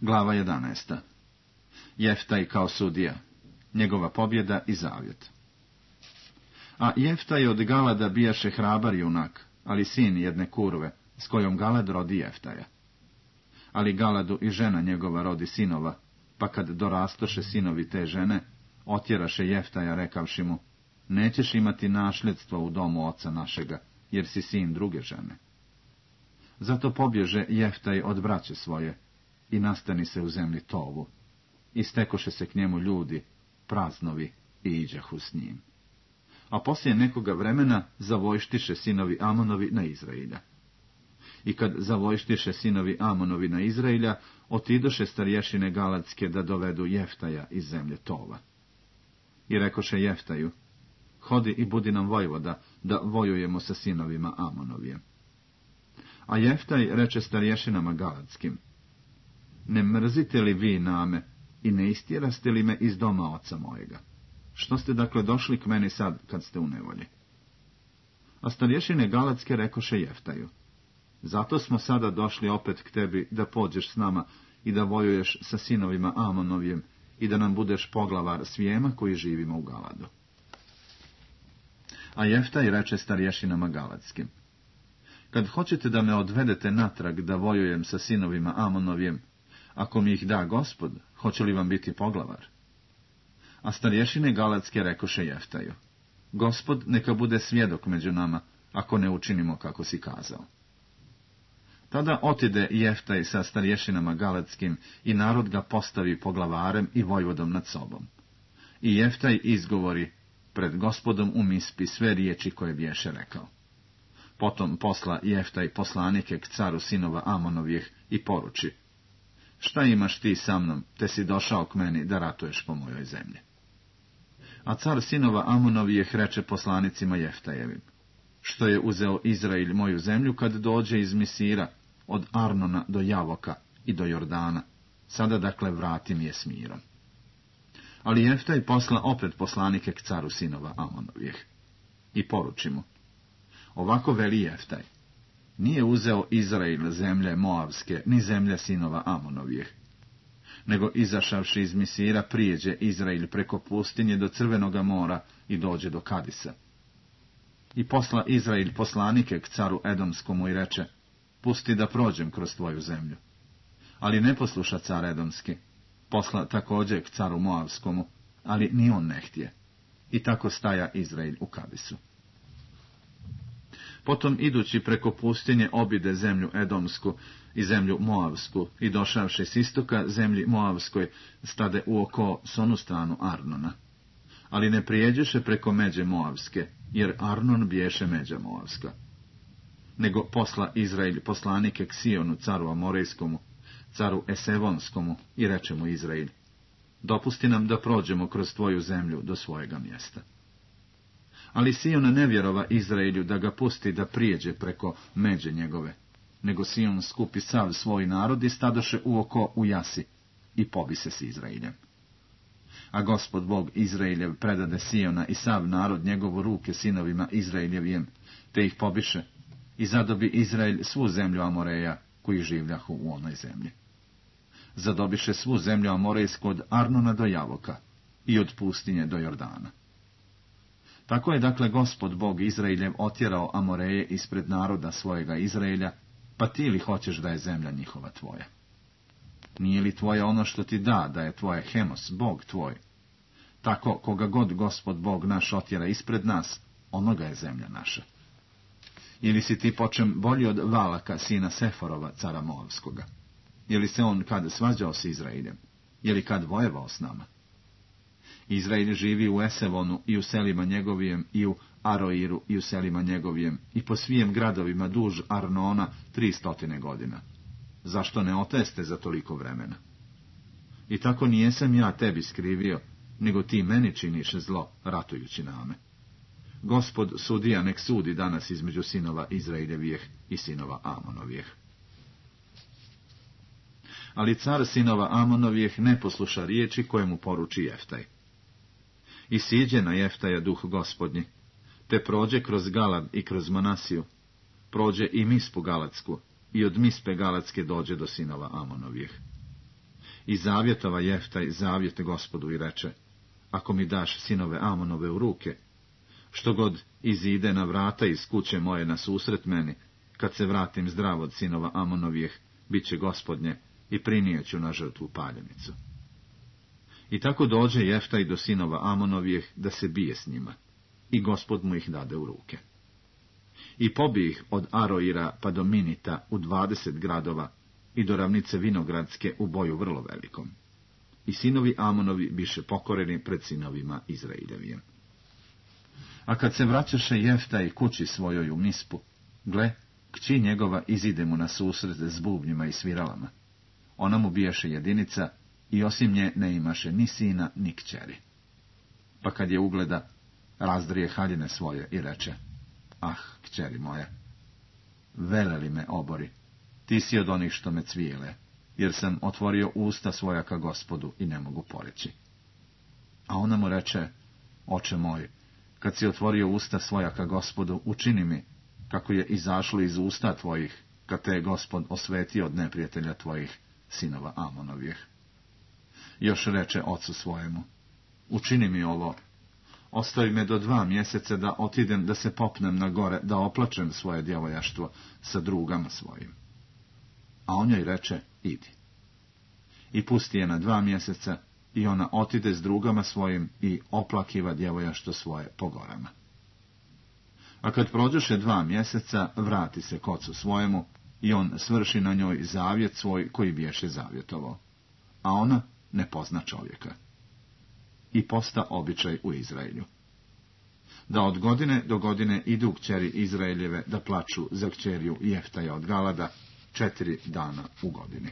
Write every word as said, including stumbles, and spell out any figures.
Glava jedanaesta. Jeftaj kao sudija, njegova pobjeda i zavjet. A Jeftaj od Galada bijaše hrabar junak, ali sin jedne kurve, s kojom Galad rodi Jeftaja. Ali Galadu i žena njegova rodi sinova, pa kad dorastoše sinovi te žene, otjeraše Jeftaja rekavši mu, nećeš imati nasljedstvo u domu oca našega, jer si sin druge žene. Zato pobježe Jeftaj od braće svoje i nastani se u zemlji Tovu. I stekoše se k njemu ljudi, praznovi, i iđahu s njim. A poslije nekoga vremena zavojštiše sinovi Amonovi na Izrailja. I kad zavojštiše sinovi Amonovi na Izrailja, otidoše starješine galadske da dovedu Jeftaja iz zemlje Tova. I rekoše Jeftaju, hodi i budi nam vojvoda, da vojujemo sa sinovima Amonovijem. A Jeftaj reče starješinama galadskim, ne mrzite li vi name i ne istjeraste li me iz doma oca mojega? Što ste dakle došli k meni sad, kad ste u nevolji? A starješine galadske rekoše Jeftaju, zato smo sada došli opet k tebi da pođeš s nama i da vojuješ sa sinovima Amonovijem i da nam budeš poglavar svijema koji živimo u Galadu. A Jeftaj reče starješinama galadskim, kad hoćete da me odvedete natrag da vojujem sa sinovima Amonovijem, ako mi ih da Gospod, hoće li vam biti poglavar? A starješine galadske rekoše Jeftaju, Gospod neka bude svjedok među nama, ako ne učinimo kako si kazao. Tada otide Jeftaj sa starješinama galadskim i narod ga postavi poglavarem i vojvodom nad sobom. I Jeftaj izgovori pred Gospodom u Mispi sve riječi koje biješe rekao. Potom posla Jeftaj poslanike k caru sinova Amonovijeh i poruči, šta imaš ti sa mnom, te si došao k meni da ratuješ po mojoj zemlji? A car sinova Amonovijeh reče poslanicima Jeftajevim, što je uzeo Izrail moju zemlju kad dođe iz Misira, od Arnona do Javoka i do Jordana, sada dakle vrati mi je s mirom. Ali Jeftaj posla opet poslanike k caru sinova Amonovijeh i poruči mu, ovako veli Jeftaj, nije uzeo Izrail zemlje Moavske, ni zemlje sinova Amonovijeh, nego izašavši iz Misira prijeđe Izrail preko pustinje do Crvenoga mora i dođe do Kadisa. I posla Izrail poslanike k caru Edomskomu i reče, pusti da prođem kroz tvoju zemlju. Ali ne posluša car Edomski, posla također k caru Moavskomu, ali ni on ne htje. I tako staja Izrail u Kadisu. Potom idući preko pustinje obide zemlju Edomsku i zemlju Moavsku i došavši s istoka zemlji Moavskoj stade u oko s onu stranu Arnona. Ali ne prijeđeše preko međe Moavske, jer Arnon biješe međa Moavska. Nego posla Izrail poslanike k Sionu, caru Amorejskomu, caru Esevonskomu, i reče mu Izrail, dopusti nam da prođemo kroz tvoju zemlju do svojega mjesta. Ali Sion ne vjerova Izrailju da ga pusti da prijeđe preko međe njegove, nego Sion skupi sav svoj narod i stadoše uoko u Jasi i pobise s Izrailjem. A Gospod Bog Izrailjev predade Siona i sav narod njegovu ruke sinovima Izrailjevijem, te ih pobiše, i zadobi Izrael svu zemlju Amoreja, koji življahu u onoj zemlji. Zadobiše svu zemlju Amorejsku od Arnona do Javoka i od pustinje do Jordana. Tako je dakle Gospod Bog Izrailjev otjerao Amoreje ispred naroda svojega Izraelja, pa ti li hoćeš da je zemlja njihova tvoja? Nije li tvoje ono što ti da, da je tvoje Hemos, Bog tvoj? Tako koga god Gospod Bog naš otjera ispred nas, onoga je zemlja naša. Ili si ti počem bolji od Valaka, sina Seforova, cara Moavskoga? Je li se on kad svađao s Izrailjem? Je li kad vojevao s nama? Izrail živi u Esevonu i u selima njegovijem, i u Aroiru i u selima njegovijem, i po svijem gradovima duž Arnona tri stotine godina. Zašto ne oteste za toliko vremena? I tako nijesam ja tebi skrivio, nego ti meni činiš zlo, ratujući name. Gospod sudija nek sudi danas između sinova Izraeljevijeh i sinova Amonovijeh. Ali car sinova Amonovijeh ne posluša riječi koje mu poruči Jeftaj. I siđe na Jeftaja duh Gospodnji, te prođe kroz Galad i kroz Manasiju, prođe i Mispu Galadsku, i od Mispe Galadske dođe do sinova Amonovijeh. I zavjetova Jeftaj zavjete Gospodu i reče, ako mi daš sinove Amonove u ruke, što god izide na vrata iz kuće moje na susret meni, kad se vratim zdrav od sinova Amonovijeh, bit će Gospodnje i prinijeću na žrtvu paljenicu. I tako dođe Jeftaj do sinova Amonovijeh da se bije s njima, i Gospod mu ih dade u ruke. I pobi ih od Aroira pa do Minita u dvadeset gradova i do ravnice Vinogradske u boju vrlo velikom. I sinovi Amonovi biše pokoreni pred sinovima Izraeljevijem. A kad se vraćaše Jeftaj kući svojoj u Mispu, gle, kći njegova izide mu na susret s bubnjima i sviralama. Ona mu bijaše jedinica i osim nje ne imaše ni sina ni kćeri. Pa kad je ugleda, razdrije haljine svoje i reče, ah, kćeri moja, veleli me obori, ti si od onih što me cvijele, jer sam otvorio usta svoja ka Gospodu i ne mogu poreći. A ona mu reče, oče moj, kad si otvorio usta svoja ka Gospodu, učini mi, kako je izašlo iz usta tvojih, kad te je Gospod osvetio od neprijatelja tvojih, sinova Amonovih. Još reče ocu svojemu, učini mi ovo, ostavi me do dva mjeseca da otidem da se popnem na gore, da oplačem svoje djevojaštvo sa drugama svojim. A on joj reče, idi. I pusti je na dva mjeseca, i ona otide s drugama svojim i oplakiva djevojaštvo svoje po gorama. A kad prođoše dva mjeseca, vrati se k ocu svojemu, i on svrši na njoj zavjet svoj koji biješe zavjetovao. A ona ne pozna čovjeka. I posta običaj u Izraelju. Da od godine do godine idu kćeri Izraeljeve da plaču za kćeriju Jeftaja od Galada četiri dana u godini.